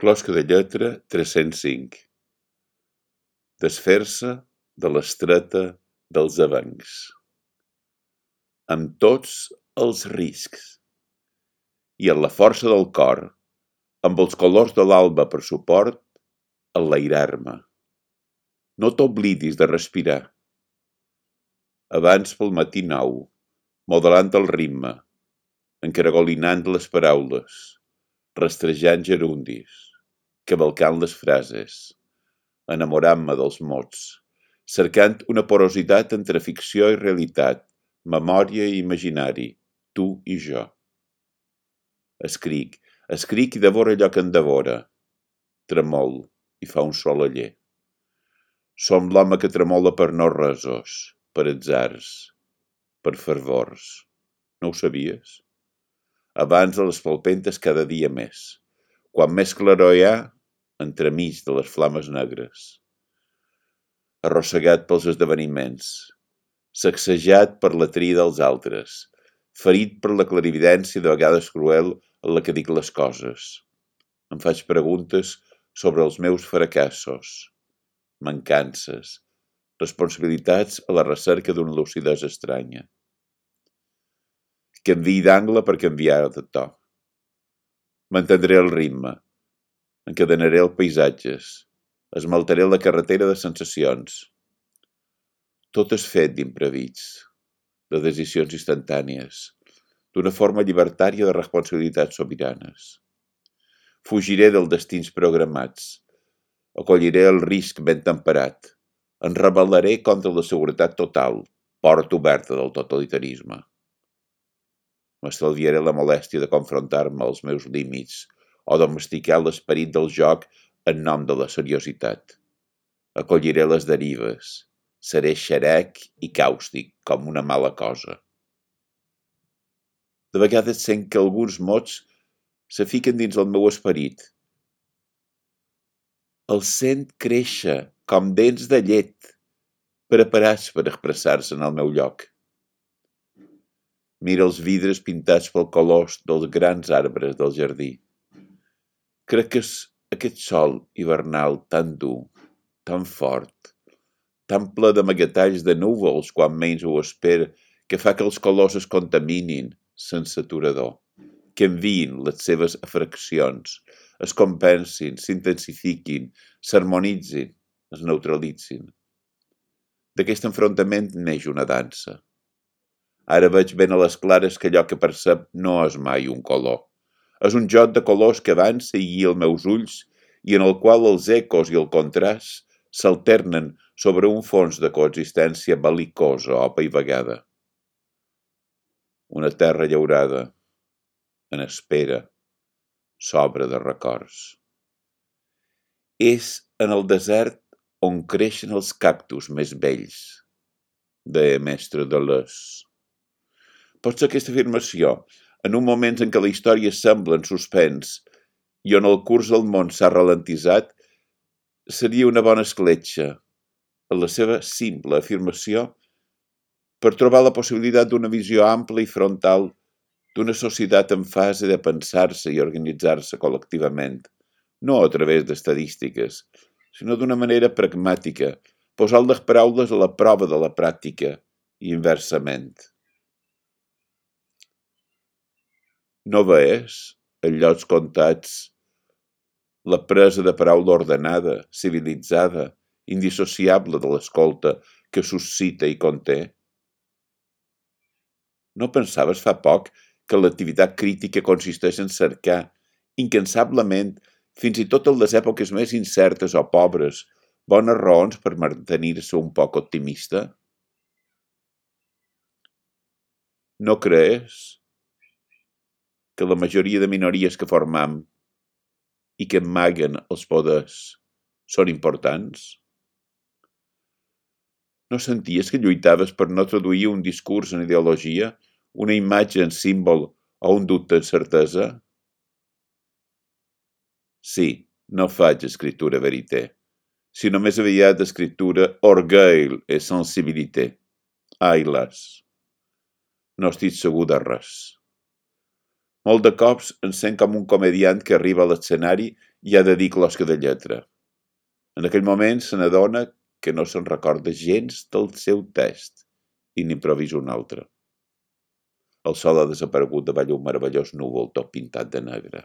Closca de lletra 305. Desfer-se de l'estreta dels avencs. Amb tots els riscs. I en la força del cor, amb els colors de l'alba per suport, enlairar-me. No t'oblidis de respirar. Abans pel matí nou, modelant el ritme, encaragolinant les paraules, rastrejant gerundis, cavalcant les frases, enamorant-me dels mots, cercant una porositat entre ficció i realitat, memòria i imaginari, tu i jo. Escric i devoro allò que em devora. Tremol i fa un sol aller. Som l'home que tremola per no resos, per atzars, per fervors. No ho sabies? Abans de les palpentes cada dia més. Quan més claror hi ha, entremig de les flames negres. Arrossegat pels esdeveniments, sacsejat per la tria dels altres, ferit per la clarividència de vegades cruel en la que dic les coses. Em faig preguntes sobre els meus fracassos, mancances, responsabilitats a la recerca d'una lucidesa estranya. Canviï d'angle per canviar de to. Mantendré el ritme, encadenaré els paisatges, esmaltaré la carretera de sensacions. Tot és fet d'imprevits, de decisions instantànies, d'una forma llibertària de responsabilitats sobiranes. Fugiré dels destins programats, acolliré el risc ben temperat, em rebel·laré contra la seguretat total, porta oberta del totalitarisme. M'estalviaré la molèstia de confrontar-me als meus límits o domesticar l'esperit del joc en nom de la seriositat. Acolliré les derives, seré xerec i càustic com una mala cosa. De vegades sent que alguns mots se fiquen dins el meu esperit. Els sent créixer com dents de llet, preparats per expressar-se en el meu lloc. Mira els vidres pintats pel colors dels grans arbres del jardí. Crec que és aquest sol hivernal tan dur, tan fort, tan ple d'amagatalls de núvols quan menys ho espera, que fa que els colors es contaminin sense aturador, que enviïn les seves fraccions, es compensin, s'intensifiquin, s'harmonitzin, es neutralitzin. D'aquest enfrontament neix una dansa. Ara veig ben a les clares que allò que percep no és mai un color. És un joc de colors que avança i guia els meus ulls i en el qual els ecos i el contrast s'alternen sobre un fons de coexistència bel·licosa o apaivagada. Una terra llaurada, en espera, s'obre de records. És en el desert on creixen els cactus més vells, deia mestre Deleuze. Potser aquesta afirmació, en un moment en què la història sembla en suspens i on el curs del món s'ha ralentitzat, seria una bona escletxa, en la seva simple afirmació, per trobar la possibilitat d'una visió ampla i frontal d'una societat en fase de pensar-se i organitzar-se col·lectivament, no a través d'estadístiques, sinó d'una manera pragmàtica, posant les paraules a la prova de la pràctica i inversament. No veies, en llocs comptats, la presa de paraula ordenada, civilitzada, indissociable de l'escolta que suscita i conté? No pensaves fa poc que l'activitat crítica consisteix en cercar, incansablement, fins i tot en les èpoques més incertes o pobres, bones raons per mantenir-se un poc optimista? No creus que la majoria de minories que formam i que amaguen els poders són importants? No senties que lluitaves per no traduir un discurs en ideologia, una imatge en símbol o un dubte en certesa? Sí, no faig escriptura verité, sinó més aviat escriptura orgueil et sensibilité. Ai, las, no estic segur de res. Molt de cops em sent com un comediant que arriba a l'escenari i ha de dir closca de lletra. En aquell moment se n'adona que no se'n recorda gens del seu text i n'improvisa un altre. El sol ha desaparegut davall un meravellós núvol tot pintat de negre.